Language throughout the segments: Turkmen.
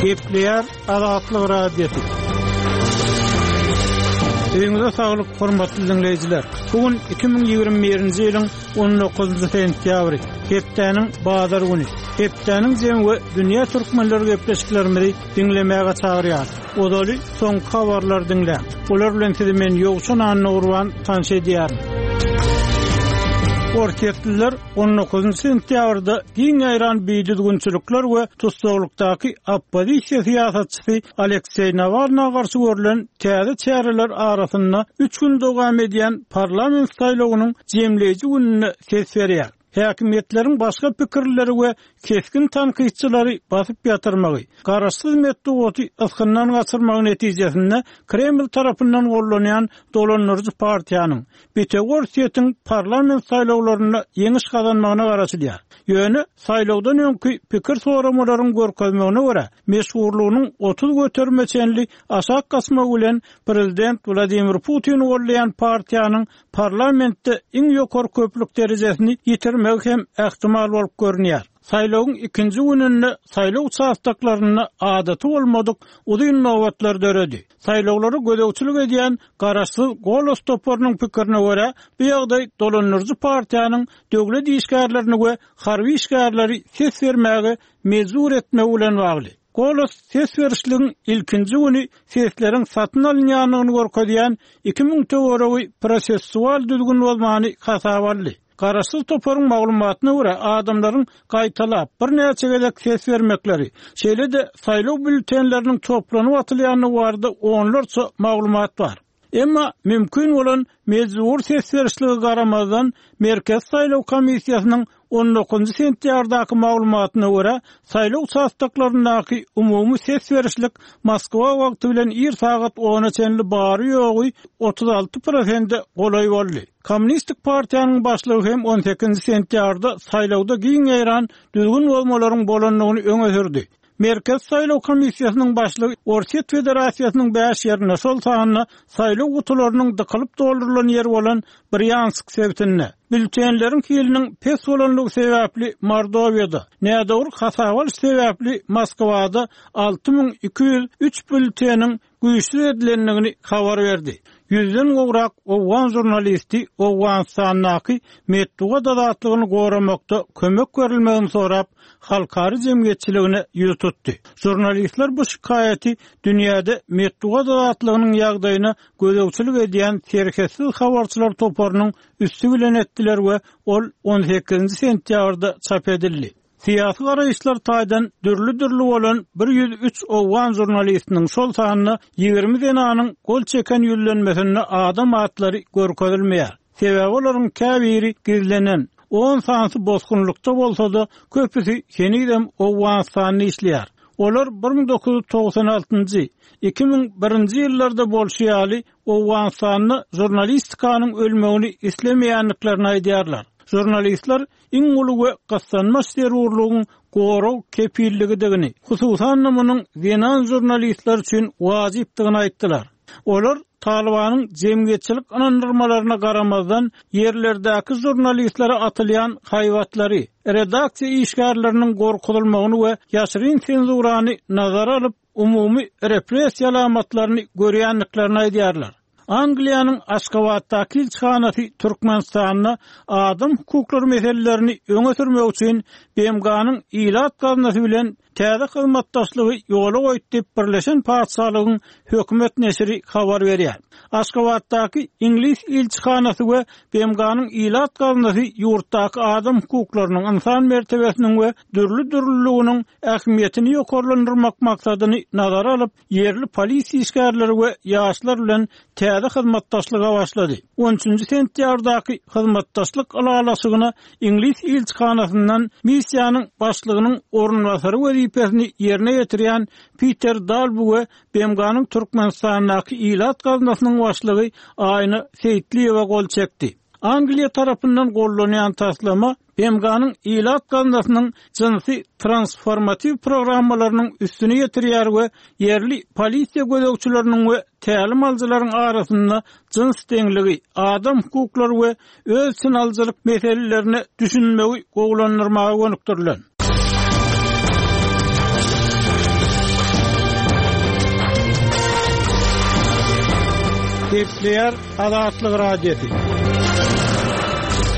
Gepleýär Azatlyk Radiosy. Öýüňize saglyk, hormatly diňleýjiler! Bu gün 2021-nji ýylyň 19-njy sentýabry, hepdäniň bazar güni. Hepdäniň jemi we dünýä türkmenleri gepleşiklerimizi diňlemäge çagyrýar. Ozaly soňky habarlary diňläň. Olar bilen sizi men Ýowşan Annagurban tanyş edýärin. Orsýetliler On dokuzynjy sentýabrda giň ýaýran bidüzgünçilikler we tussaglykdaky oppozisiýa syýasatçysy Alekseý Nawalna garşy görlen täze çäreler arasynda üç gün dowam edýän parlament saýlawynyň jemleýji gününde ses berýär. Häkimiýetleriň başga pikirlileri we kesgin tankytçylary basyp ýatyrmagy, garaşsyz metbugaty ysgyndan gaçyrmagy netijesinde Kreml tarapyndan gollanýan dolandyryjy partiýanyň, Bitewi Orsýetiň parlament saýlawlarynda ýeňiş gazanmagyna garaşylýar. Ýöne saýlawdan öňki pikir soramalaryň görkezmegine görä, meşhurlygynyň 30 göterime çenli aşak gaçmagy bilen prezident Wladimir Putini goldaýan partiýanyň parlamentde iň ýokary köplük derejesini ýitirmegi hem ähtimal bolup görünýär. Saýlawyň ikinji gününde saýlaw uçastoklarynda adaty bolmadyk uzyn nobatlar döredi. Saýlawlara gözegçilik edýän garaşsyz Golos toparynyň pikirine görä, bu ýagdaý dolandyryjy partiýanyň döwlet işgärlerini we harby işgärleri ses bermäge mejbur etmegi bilen bagly. Golos ses berişligiň ilkinji güni sesleriň satyn alynýandygyny görkezýän 2000 töweregi prosessual düzgün bozmany hasaba aldy. Garaşsyz toparyň maglumatyna görä, adamlaryň gaýtalap, birnäçe gezek ses bermekleri, şeýle-de saýlaw býulletenleriniň toplanyp atylýandygy barada onlarça maglumat bar. Emma mümkin bolan mejbury ses berişlige garamazdan, Merkezi saýlaw komissiýasynyň on dokuzynjy sentýabrdaky maglumatyna görä, saýlaw uçastoklaryndaky umumy ses berişlik Moskwa wagty bilen ir sagat ona çenli bary-ýogy 36 prosente golaý boldy. Kommunistik partiýanyň başlygy hem on sekizinji sentýabrda saýlawda giň ýaýran düzgün bozmalaryň bolandygyny öňe sürdi. Merkezi saýlaw komissiýasynyň başlygy Orsýet Federasiýasynyň bäş ýerinde, şol sanda saýlaw gutularynyň dykylyp doldurylan ýeri bolan Brýansk sebitinde, býulletenleriň hiliniň pes bolanlygy sebäpli Mordowiýada, nädogry hasaba alyş sebäpli Moskwada 6203 býulleteniň güýçsüz edilendigini habar berdi. Ýüzden gowrak owgan žurnalisti Owganystandaky metbugat azatlygyny goramakda kömek berilmegini sorap, halkara jemgyýetçiligine ýüz tutdy. Žurnalistler bu şikaýaty dünýäde metbugat azatlygynyň ýagdaýyna gözegçilik edýän Serhetsiz habarçylar toparynyň üsti bilen etdiler we ol on sekizinji sentýabrda çap edildi. Syýasy garaýyşlar taýdan dürli-dürli bolan 103 owgan žurnalistiniň, şol sanda 20 zenanyň gol çeken ýüzlenmesinde adam atlary görkezilmeýär. Sebäbi olaryň käbiri gizlenen, on sanysy bosgunlykda bolsa-da, köpüsi henizem Owganystanda işleýär. Olar 1996-njy, 2001-nji ýyllarda bolşy ýaly, Owganystanda žurnalistikanyň ölmegini islemeýändiklerini aýdýarlar. Žurnalistler iň uly we gyssanmaç zerurlygyň gorag kepilligidigini, hususan-da munuň zenan žurnalistler üçin wajypdygyny aýtdylar. Olar Talybanyň jemgyýetçilik ynandyrmalaryna garamazdan, ýerlerdäki žurnalistlere atylýan haýbatlary, redaksiýa işgärleriniň gorkuzylmagyny we ýaşyryn senzurany nazara alyp, umumy repressiýa alamatlaryny görýändiklerini aýdýarlar. Angliýanyň Aşgabatdaky ilçihanasy Türkmenistanda adam hukuklary meselelerini öňe sürmek üçin BMG-niň Ilat gaznasy bilen täze hyzmatdaşlygy ýola goýdy diýip, Birleşen Patyşalygyň hökümet neşiri habar berýär. Aşgabatdaky iňlis ilçihanasy we BMG-niň Ilat gaznasy ýurtdaky adam hukuklarynyň, ynsan mertebesiniň we dürli-dürlüliginiň ähmiýetini ýokarlandyrmak maksadyny nazara alyp, ýerli polisiýa işgärleri we ýaşlar bilen täze hyzmatdaşlyga başlady. On üçünji sentýabrdaky hyzmatdaşlyk ylalaşygyna iňlis ilçihanasyndan missiýanyň başlygynyň orunbasary wezipesini ýerine ýetirýän Piter Dalbu we BMG-niň Türkmenistandaky Ilat gaznasynyň başlygy Aýna Seýitliýewa gol çekdi. Angliýa tarapyndan gollanýan taslama BMG-niň Ilat gaznasynyň jynsy transformatiw programmalarynyň üstüni ýetirýär we ýerli polisiýa gözegçileriniň we tälim alyjylaryň arasynda jyns deňligi, adam hukuklary we öz içine alyjylyk meselelerine düşünmegi gowulandyrmaga gönükdirilen. Gepleýär Azatlyk Radiosy.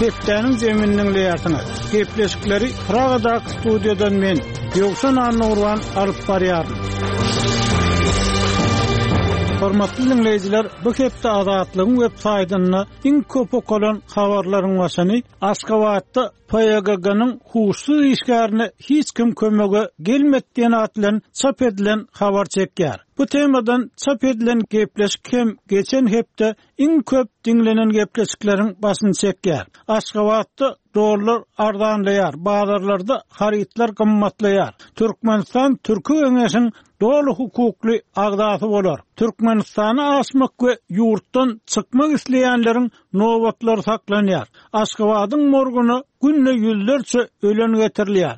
Hepdäniň jemini diňleýärsiňiz. Gepleşikleri Pragadaky studiýadan men, Ýowşan Annagurban alyp barýaryn. Hormatly diňleýjiler, bu hepde Azatlygyň web saýtynda iň köp okalan habarlaryň başyny Aşgabatda PYGG-nyň huşsuz işgärine hiç kim kömege gelmedi diýen at bilen çap edilen habar çekýär. Bu temadan çap edilen gepleşik hem geçen hepde iň köp diňlenen gepleşikleriň başyny çekýär. Aşgabatda dollar arzanlaýar, bazarlarda harytlar gymmatlaýar. Türkmenistan Türki Geňeşiň doly hukukly agzasy bolar. Türkmenistana aşmak we ýurtdan çykmak isleýänleriň nobatlary saklanýar. Aşgabadyň morguna günde ýüzlerçe ölen getirilýär.